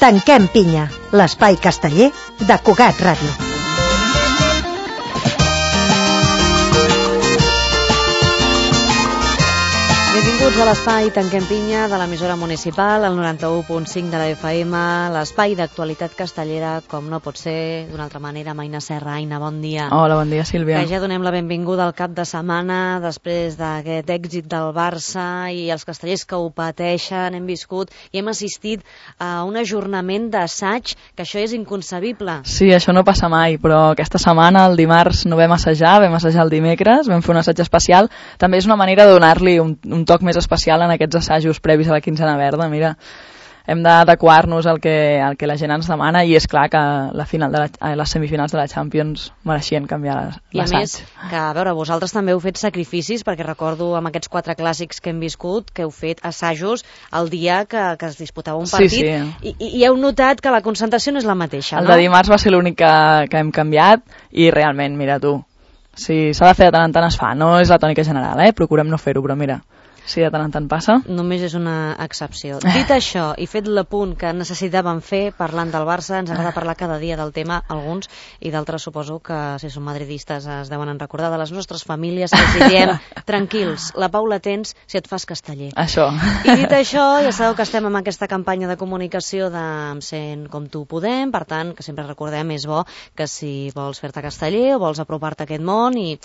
Tanquem pinya, l'espai casteller de Cugat Ràdio. Benvinguts a l'espai Tanquem pinya de l'emissora municipal, el 91.5 de la FM, l'espai d'actualitat castellera, com no pot ser d'una altra manera. Aina Serra, Aina, bon dia. Hola, bon dia, Sílvia. Que ja donem la benvinguda al cap de setmana, després d'aquest èxit del Barça i els castellers que ho pateixen, hem viscut i hem assistit a un ajornament d'assaig, que això és inconcebible. Sí, això no passa mai, però aquesta setmana, el dimarts, no vam assajar el dimecres, vam fer un assaig especial. També és una manera de donar-li un toc més especial en aquests assajos previs a la quinzena verda. Mira, hem d'adequar-nos al que la gent ens demana, i és clar que les semifinals de la Champions mereixien canviar l'assaig. I a més, que a veure, vosaltres també heu fet sacrificis, perquè recordo amb aquests 4 clàssics que hem viscut, que heu fet assajos el dia que es disputava un partit, sí. I heu notat que la concentració no és la mateixa, no? El de dimarts va ser l'únic que hem canviat, i realment, mira tu, si s'ha de fer de tant en tant es fa, no és la tònica general, procurem no fer-ho, però mira, si de tant en tant passa. Només és una excepció. Dit això, i fet l'apunt que necessitàvem fer parlant del Barça, ens agrada parlar cada dia del tema, alguns, i d'altres suposo que si són madridistes es deuen recordar de les nostres famílies, que els diem, tranquils, la Paula tens si et fas casteller. Això. I dit això, ja sabeu que estem amb aquesta campanya de comunicació de Sent com tu podem, per tant, que sempre recordem, és bo que si vols fer-te casteller o vols apropar-te a aquest món i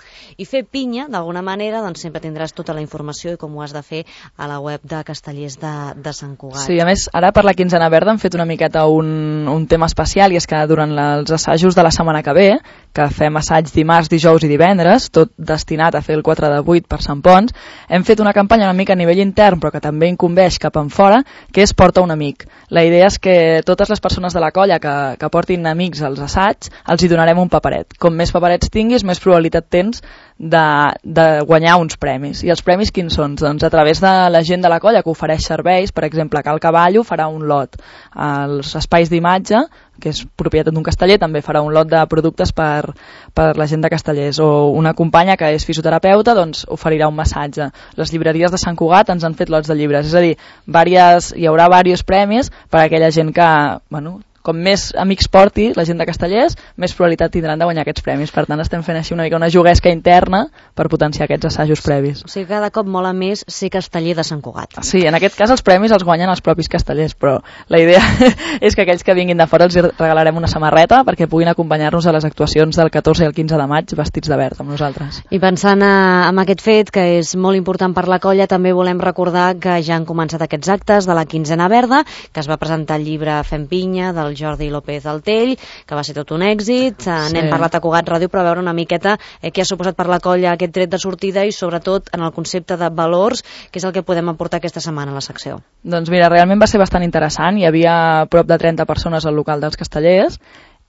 fer pinya, d'alguna manera, doncs sempre tindràs tota la informació i com ho has de fer a la web de Castellers de Sant Cugat. Sí, a més, ara per la quinzena verda hem fet una miqueta un tema especial, i és que durant els assajos de la setmana que ve, que fem assaig dimarts, dijous i divendres, tot destinat a fer el 4 de 8 per Sant Pons, hem fet una campanya una mica a nivell intern, però que també incumbeix cap en fora, que és Porta un amic. La idea és que totes les persones de la colla que portin amics als assaigs, els hi donarem un paperet. Com més paperets tinguis, més probabilitat tens de guanyar uns premis. I els premis quins són? Doncs a través de la gent de la colla que ofereix serveis, per exemple, Cal Cavallo farà un lot, els espais d'imatge, que és propietat d'un casteller, també farà un lot de productes per la gent de Castellers, o una companya que és fisioterapeuta doncs oferirà un massatge. Les llibreries de Sant Cugat ens han fet lots de llibres, és a dir, hi haurà diversos premis per a aquella gent que, com més amics porti la gent de Castellers, més probabilitat tindran de guanyar aquests premis. Per tant, estem fent així una mica una juguesca interna per potenciar aquests assajos previs. O sigui, cada cop mola més ser casteller de Sant Cugat. Sí, en aquest cas els premis els guanyen els propis castellers, però la idea és que aquells que vinguin de fora els regalarem una samarreta perquè puguin acompanyar-nos a les actuacions del 14 i el 15 de maig vestits de verd amb nosaltres. I pensant en aquest fet, que és molt important per la colla, també volem recordar que ja han començat aquests actes de la quinzena verda, que es va presentar el llibre Fem pinya, del Jordi López Altell, que va ser tot un èxit. N'hem parlat a Cugat Ràdio per veure una miqueta què ha suposat per la colla aquest tret de sortida i sobretot en el concepte de valors, que és el que podem aportar aquesta setmana a la secció. Doncs mira, realment va ser bastant interessant. Hi havia prop de 30 persones al local dels Castellers,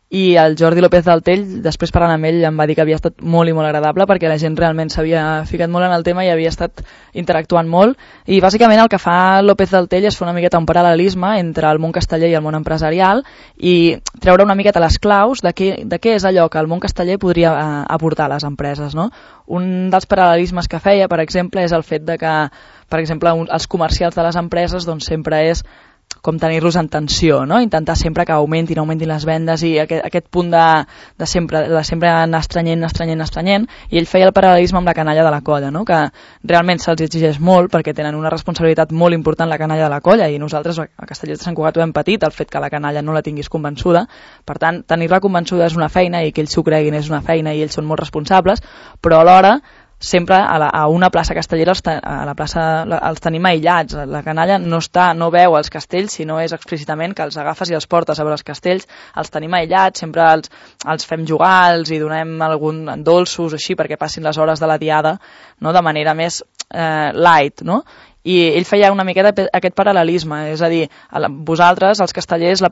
i el Jordi López Altell, després parlant amb ell, em va dir que havia estat molt i molt agradable perquè la gent realment s'havia ficat molt en el tema i havia estat interactuant molt, i bàsicament el que fa López Altell és fer una miqueta un paral·lelisme entre el món casteller i el món empresarial i treure una miqueta les claus de què és allò que el món casteller podria aportar a les empreses, no? Un dels paral·lelismes que feia, per exemple, és el fet de que, per exemple, els comercials de les empreses doncs sempre és com tenir-los en tensió, no? Intentar sempre que augmentin les vendes i aquest punt de sempre anar estrenyent, i ell feia el paral·lelisme amb la canalla de la colla, no? Que realment se'ls exigeix molt perquè tenen una responsabilitat molt important la canalla de la colla, i nosaltres a Castellers de Sant Cugat ho hem patit, el fet que la canalla no la tinguis convençuda. Per tant, tenir-la convençuda és una feina, i que ells s'ho creguin és una feina, i ells són molt responsables, però alhora sempre a una plaça castellera a la plaça els tenim aïllats. La canalla no veu els castells, sinó és explícitament que els agafes i els portes a veure els castells, els tenim aïllats, sempre els fem jugar, els hi donem algun dolços així perquè passin les hores de la diada, no? De manera més light, no? I ell feia una miqueta aquest paral·lelisme, és a dir, vosaltres, els castellers, les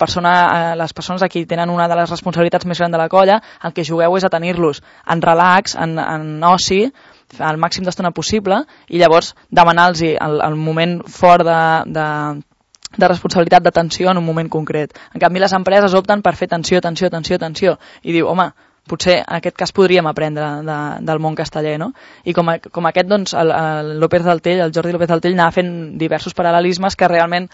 persones aquí tenen una de les responsabilitats més grans de la colla, el que jugueu és a tenir-los en relax, en oci, al màxim d'estona possible, i llavors demanar-los el moment fort de responsabilitat, d'atenció en un moment concret. En canvi, les empreses opten per fer tensió, i diu, home, potser en aquest cas podríem aprendre del món casteller, no? I com aquest, doncs, el Jordi López Altell anava fent diversos paral·lelismes que realment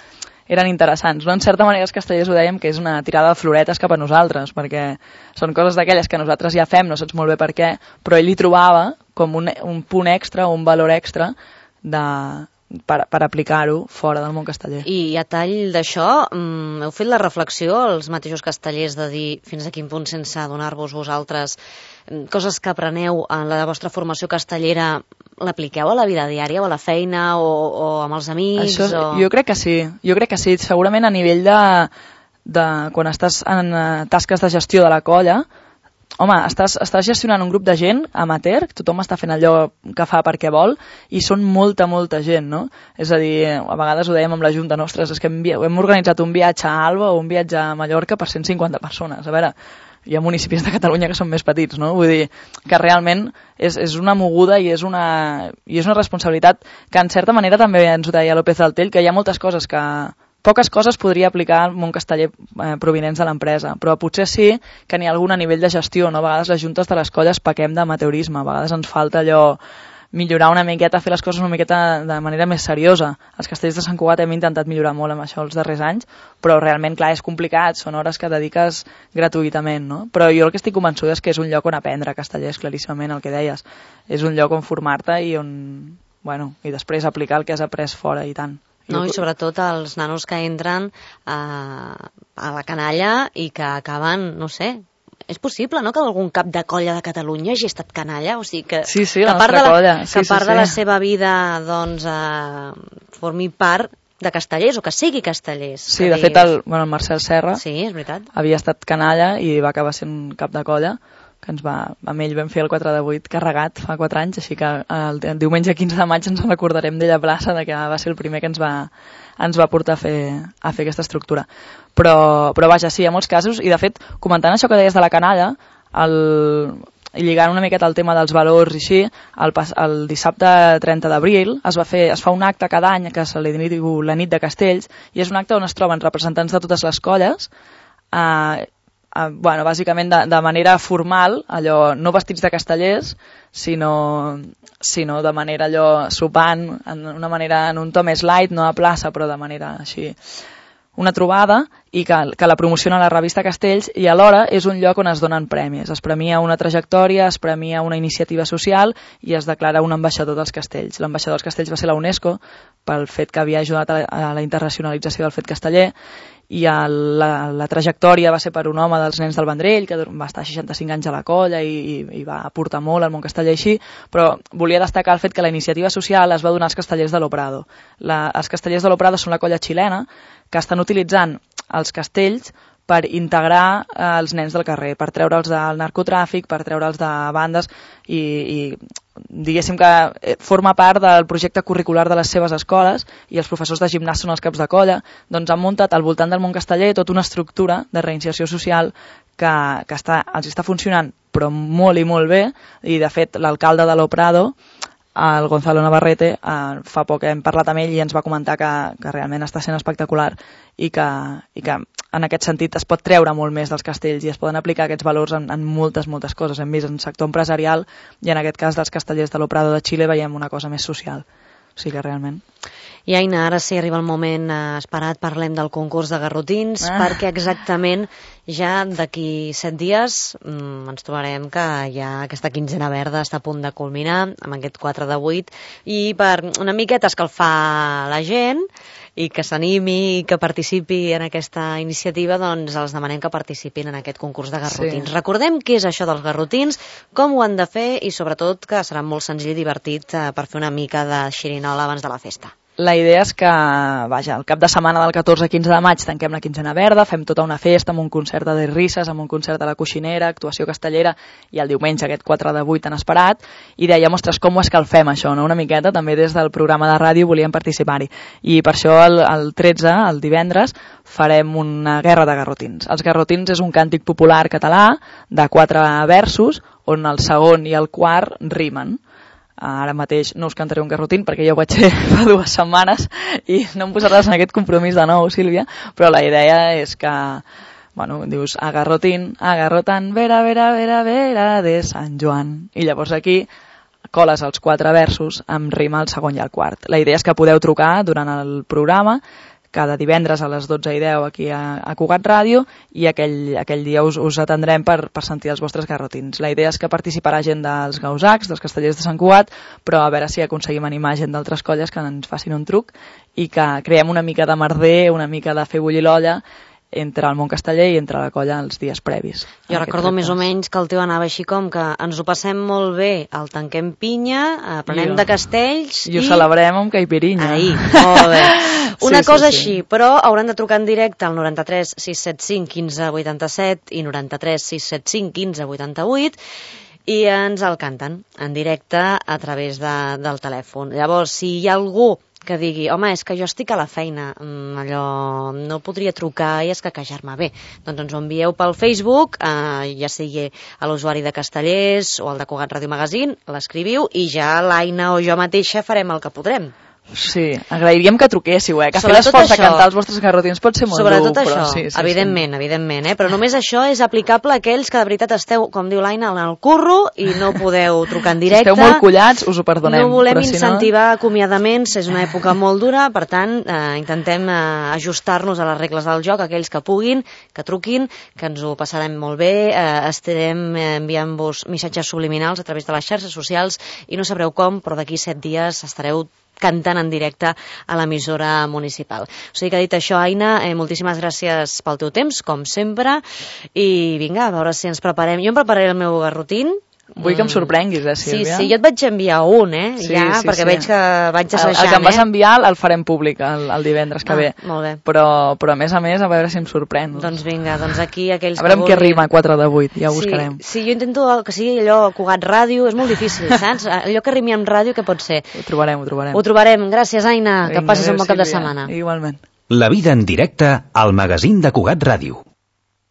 eren interessants. No? En certa manera els castellers ho dèiem que és una tirada de floretes cap a nosaltres, perquè són coses d'aquelles que nosaltres ja fem, no saps molt bé per què, però ell hi trobava com un punt extra, un valor extra per aplicar-ho fora del món casteller. I a tall d'això, heu fet la reflexió, els mateixos castellers, de dir fins a quin punt, sense adonar-vos vosaltres, coses que apreneu en la vostra formació castellera, l'apliqueu a la vida diària o a la feina o amb els amics? Això, jo crec que sí. Segurament a nivell de quan estàs en tasques de gestió de la colla, home, estàs gestionant un grup de gent amateur, tothom està fent allò que fa perquè vol, i són molta gent, no? És a dir, a vegades ho dèiem amb la Junta, ostres, és que hem organitzat un viatge a Alba o un viatge a Mallorca per 150 persones. A veure, hi ha municipis de Catalunya que són més petits, no? Vull dir que realment és una moguda i és una responsabilitat que en certa manera també ens ho deia López del Tell, que hi ha moltes coses poques coses podria aplicar al món casteller provinents de l'empresa, però potser sí que n'hi ha algun a nivell de gestió, no? A vegades les juntes de les colles pequem d'amateurisme, a vegades ens falta allò millorar una miqueta, fer les coses una miqueta de manera més seriosa. Els castellers de Sant Cugat hem intentat millorar molt amb això els darrers anys, però realment, clar, és complicat, són hores que dediques gratuïtament, no? Però jo el que estic convençuda és que és un lloc on aprendre castellers, claríssimament, el que deies. És un lloc on formar-te i i després aplicar el que has après fora i tant. No, i sobretot els nanos que entren a la canalla i que acaben, no sé, és possible, no?, que algun cap de colla de Catalunya hagi estat canalla, o sigui que, sí, que part de la seva vida doncs formi part de castellers o que sigui castellers. Sí, de fet el Marcel Serra és veritat, havia estat canalla i va acabar sent cap de colla, que amb ell vam fer el 4 de 8 carregat fa 4 anys, així que el diumenge 15 de maig ens recordarem d'ella plaça, de que va ser el primer que ens va portar a fer aquesta estructura. Però vaja, sí, hi ha molts casos, i de fet, comentant això que deies de la canalla, i lligant una miqueta al tema dels valors i així, el dissabte 30 d'abril es fa un acte cada any que se li diu la nit de castells, i és un acte on es troben representants de totes les colles, bàsicament de manera formal, allò no vestits de castellers, sinó de manera allò sopant, en un to més light, no a plaça, però de manera així, una trobada, i que la promociona la revista Castells, i alhora és un lloc on es donen premis. Es premia una trajectòria, es premia una iniciativa social i es declara un ambaixador dels castells. L'ambaixador dels castells va ser la UNESCO, pel fet que havia ajudat a la internacionalització del fet casteller, i la trajectòria va ser per un home dels Nens del Vendrell, que va estar 65 anys a la colla i va aportar molt al món casteller així, però volia destacar el fet que la iniciativa social es va donar als castellers de l'Oprado. Els castellers de l'Oprado són la colla xilena que estan utilitzant els castells per integrar els nens del carrer, per treure'ls del narcotràfic, per treure'ls de bandes i diguéssim que forma part del projecte curricular de les seves escoles, i els professors de gimnàs són els caps de colla, doncs han muntat al voltant del món casteller tota una estructura de reinserció social que els està funcionant però molt i molt bé, i de fet l'alcalde de l'Oprado, el Gonzalo Navarrete, fa poc hem parlat amb ell i ens va comentar que realment està sent espectacular i que en aquest sentit es pot treure molt més dels castells i es poden aplicar aquests valors en moltes coses. Hem vist en el sector empresarial i en aquest cas dels castellers de l'Oprado de Xile veiem una cosa més social. O sigui que realment... I Aina, ara sí arriba el moment esperat, parlem del concurs de garrotins, perquè exactament ja d'aquí 7 dies ens trobarem que ja aquesta quinzena verda està a punt de culminar amb aquest 4 de 8, i per una miqueta escalfar la gent i que s'animi i que participi en aquesta iniciativa, doncs els demanem que participin en aquest concurs de garrotins. Sí. Recordem què és això dels garrotins, com ho han de fer i sobretot que serà molt senzill i divertit per fer una mica de xirinola abans de la festa. La idea és que, el cap de setmana del 14-15 de maig tanquem la quinzena verda, fem tota una festa amb un concert de risses, amb un concert de la Coixinera, actuació castellera, i el diumenge aquest 4 de 8 tan esperat, i dèiem, ostres, com ho escalfem això, no? Una miqueta, també des del programa de ràdio volíem participar-hi, i per això el 13, el divendres, farem una guerra de garrotins. Els garrotins és un càntic popular català de 4 versos, on el segon i el quart rimen. Ara mateix no us cantaré un garrotín perquè ja ho vaig fer fa 2 setmanes i no em posaràs en aquest compromís de nou, Sílvia, però la idea és que, dius agarrotín, agarrotan, vera, vera, vera, vera de Sant Joan, i llavors aquí coles els 4 versos amb rima el segon i el quart. La idea és que podeu trucar durant el programa, cada divendres a les 12:10 aquí a Cugat Ràdio, i aquell dia us atendrem per sentir els vostres garrotins. La idea és que participarà gent dels Gausacs, dels Castellers de Sant Cugat, però a veure si aconseguim animar gent d'altres colles que ens facin un truc i que creem una mica de merder, una mica de fer bullir l'olla entre el món casteller i entre la colla els dies previs. Jo recordo més o menys que el teu anava així com que ens ho passem molt bé, el tanquem pinya, aprenem de castells i ho celebrem amb caipirinha. Ahí, molt bé. Una cosa així, però hauran de trucar en directe al 93 675 15 87 i 93 675 15 88 i ens el canten en directe a través del telèfon. Llavors, si hi ha algú que digui, home, és que jo estic a la feina, allò no podria trucar i escaquejar-me bé, doncs ens ho envieu pel Facebook, ja sigui a l'usuari de Castellers o al de Cugat Ràdio Magazine, l'escriviu i ja l'Aina o jo mateixa farem el que podrem. Sí, agrairíem que truquéssiu, que fer l'esforç de cantar els vostres garrotins pot ser molt dur. Sobretot això, evidentment, però només això és aplicable a aquells que de veritat esteu, com diu l'Aina, en el curro i no podeu trucar en directe. Si esteu molt collats, us ho perdonem. No volem incentivar acomiadaments, és una època molt dura, per tant, intentem ajustar-nos a les regles del joc, aquells que puguin, que truquin, que ens ho passarem molt bé, estarem enviant-vos missatges subliminals a través de les xarxes socials i no sabreu com, però d'aquí 7 dies estareu cantant en directe a l'emissora municipal. O sigui que dit això, Aina, moltíssimes gràcies pel teu temps, com sempre, i vinga, a veure si ens preparem. Jo em prepararé el meu garrotín. Vull que em sorprenguis, Sílvia. Sí, jo et vaig enviar un, perquè veig que vaig assajant. El que em vas enviar el farem públic el divendres que ve. Molt bé. Però a més, a veure si em sorprèn. Doncs vinga, aquí aquells que vulguin... A veure amb què rima 4 de 8, ja ho buscarem. Sí, jo intento que sigui allò Cugat Ràdio, és molt difícil, saps? Allò que rimi amb ràdio, què pot ser? Ho trobarem. Ho trobarem. Gràcies, Aina, que passis un bon cap de setmana. Igualment. La vida en directe al magazín de Cugat Ràdio.